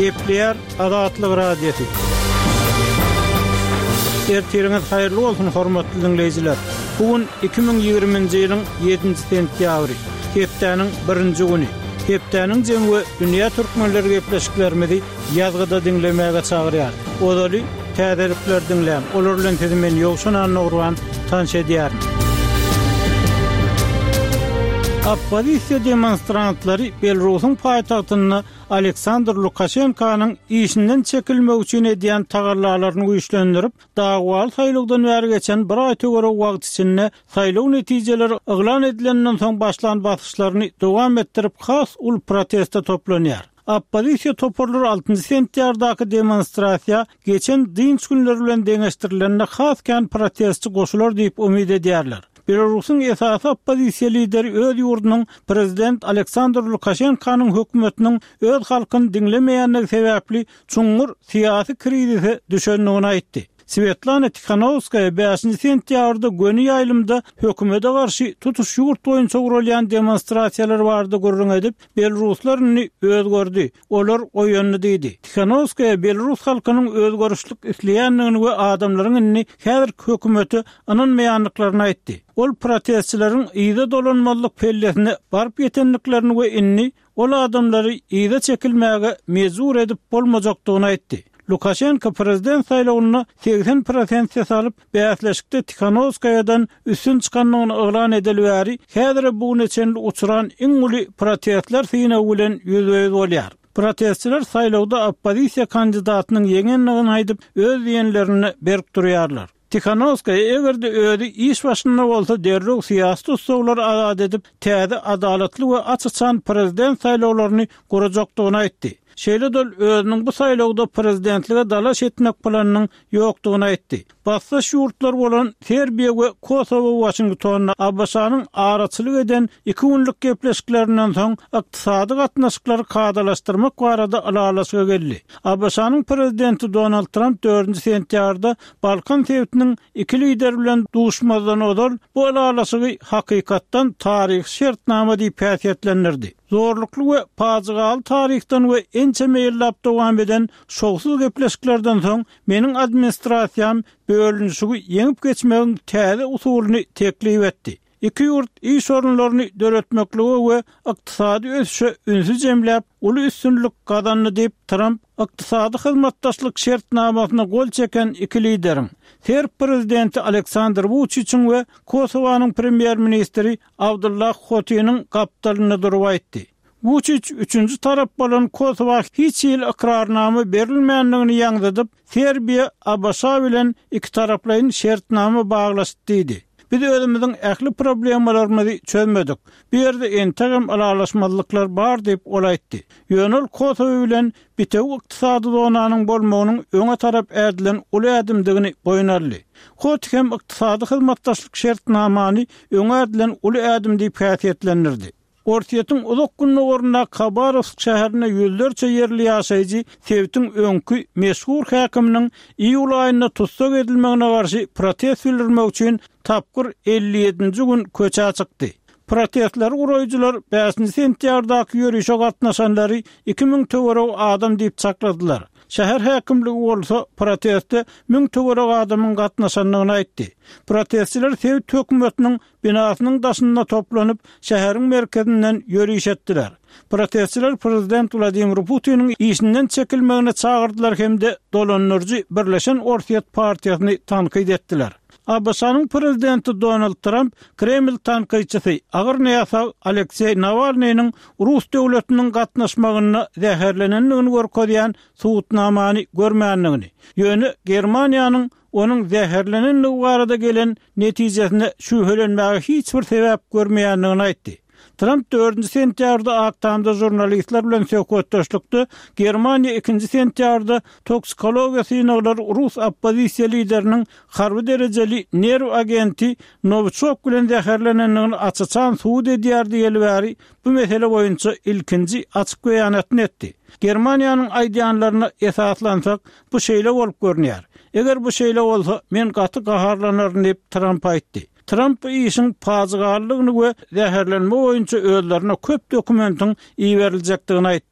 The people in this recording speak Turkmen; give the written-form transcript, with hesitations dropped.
Gepleýär Azatlyk Radiosy. Ertiriňiz haýyrly bolsun, hormatly diňleýjiler! Bu gün 2020-nji ýylyň ýedinji sentýabry, hepdäniň birinji güni. Hepdäniň jemi we dünýä türkmenleri gepleşiklerimizi ýazgyda diňlemäge çagyrýar. Ozaly täzelikleri diňläň, olar bilen sizi men Ýowşan Annagurban tanyş edýärin. Oppozisiýa demonstrantlary Belarusyň paýtagtynda Aleksandr Lukaşenkanyň işinden çekilmegi üçin edýän tagallalaryny güýçlendirip, dawaly saýlawdan bäri geçen bir aý töweregi wagt içinde saýlaw netijeleri yglan edilenden soň başlan basyşlaryny dowam etdirip has uly proteste toplanýar. Oppozisiýa toparlary altynjy sentýabrdaky demonstrasiýa geçen dynç günleri bilen deňeşdirilende has kän protestçi goşular diýip umyt edýärler. Belarusyň esasy oppozisiýa lideri öz ýurdunyň prezident Aleksandr Lukaşenkanyň hökümetiniň öz halkyny diňlemeýändigi sebäpli çuňňur syýasy krizise düşendigini aýtdy. Swetlana Tihanowskaýa bäşinji sentýabrda göni ýaýlymda hökümete garşy tutuş ýurt boýunça guralýan demonstrasiýalar barada gürrüň edip, Belaruslar indi özgerdi, olar oýandy diýdi. Tihanowskaýa belarus halkynyň özgerişlik isleýändigini we adamlaryň indi häzirki hökümete ynanmaýandyklaryny aýtdy. Ol protestçileriň yza dolanmazlyk pellesine baryp ýetendiklerini we indi ol adamlary yza çekilmäge mejbur edip bolmajakdygyny aýtdy. Lukaşenko prezident saýlawynda 80 prosent ses alyp, bäsleşikde Tihanowskaýadan üstün çykandygyny yglan edeli bäri, häzire bu güne çenli uçran iň uly protestler synagy bilen ýüzbe-ýüz bolýar. Protestçiler saýlawda oppozisiýa kandidatynyň ýeňendigini aýdyp, öz diýenlerinde berk durýarlar. Tihanowskaýa eger-de özi iş başynda bolsa derrew syýasy tussaglary azat edip, täze adalatly we aç-açan prezident saýlawlaryny gurajakdygyny aýtdy. Şeýle-de ol özüniň bu saýlawda prezidentlige dalaş etmek planynyň ýokdugyny aýtdy. Basdaş ýurtlar bolan Serbiýa we Kosowo Waşingtonda ABŞ-nyň araçylyk eden iki günlük gepleşiklerinden soň ykdysady gatnaşyklary kadalaşdyrmak barada ylalaşyga geldi. ABŞ-nyň prezidenti Donald Tramp dördünji sentýabrda Balkan sebitiniň iki lideri bilen duşmazdan ozal bu ylalaşygy hakykatdan taryhy şertnama diýip häsiýetlendirdi. Zorlukly we pajygaly taryhdan we ençeme ýyllap dowam eden şowsuz gepleşiklerden soň meniň administrasiýam bölünişigi ýeňip geçmegiň täze usulyny teklip etdi. Iki ýurt iş orunlaryny döretmeklige we ykdysady ösüşe ünsi jemläp, uly üstünlik gazandy diýip, Tramp Ykdysady hyzmatdaşlyk şertnamasyna gol çeken iki lideriň, serb prezidenti Aleksandr Wuçiçiň we Kosowanyň premýer-ministri Abdullah Hotiniň gapdalynda durup aýtdy. Wuçiç üçünji tarap bolan Kosowa hiç hili ykrarnama berilmändigini ýaňzydyp, Serbiýa ABŞ bilen ikitaraplaýyn şertnama baglaşdy diýdi. Biz özümiziň ähli problemalarymyzy çözmedik. Bu ýerde entegem ylalaşmazlyklar bar diýip, ol aýtdy. Ýöne ol Kosowa bilen bitewi ykdysady zonanyň bolmagynyň öňe tarap ädilen uly ädimdigini boýun aldy. Hoti hem ykdysady hyzmatdaşlyk şertnamany öňe ädilen uly ädim diýip häsiýetlendirdi. Orsýetiň uzak gündogaryndaky Habarowsk şäherinde ýüzlerçe ýerli ýaşaýjy sebitiň öňki meşhur häkiminiň iýul aýynda tussag edilmegine garşy protest bildirmek üçin tapgyr 57-nji gün köçä çykdy. Protestleri guraýjylar bäşinji sentýabrdaky ýörişe gatnaşanlary 2000 töweregi adam diýip çakladylar. Şäher häkimligi bolsa proteste müň töweregi adamyň gatnaşandygyny aýtdy. Protestçiler sebit hökümetiniň binasynyň daşynda toplanyp, şäheriň merkezinden ýöriş etdiler. Protestçiler prezident Wladimir Putiniň işinden çekilmegine çagyrdylar hem-de dolandyryjy Birleşen Orsýet partiýasyny tankyt etdiler. ABŞ-nyň prezidenti Donald Tramp Kreml tankytçysy, agyr näsag Alekseý Nawalnynyň rus döwletiniň gatnaşmagynda zäherlenendigini görkezýän subutnamany görmändigini, ýöne Germaniýanyň onuň zäherlenendigi barada gelen netijesine şübhelenmäge hiç bir sebäp görmeýändigini aýtdy. Tramp dördünji sentýabrda Ak Tamda žurnalistler bilen söhbetdeşlikde Germaniýa ikinji sentýabrda toksikologiýa synaglary rus oppozisiýa lideriniň harby derejeli nerw agenti Nowiçok bilen zäherlenendigini aç-açan subut edýär diýeli bäri bu mesele boýunça ilkinji açyk beýanatyny etdi. Germaniýanyň aýdýanlaryna esaslansak, bu şeýle bolup görünýär. Eger bu şeýle bolsa, men gaty gaharlanaryn diýip, Tramp aýtdy. Tramp bu işiň pajygalydygyny we zäherlenme boýunça özlerine köp dokumentiň iberiljekdigini aýtdy.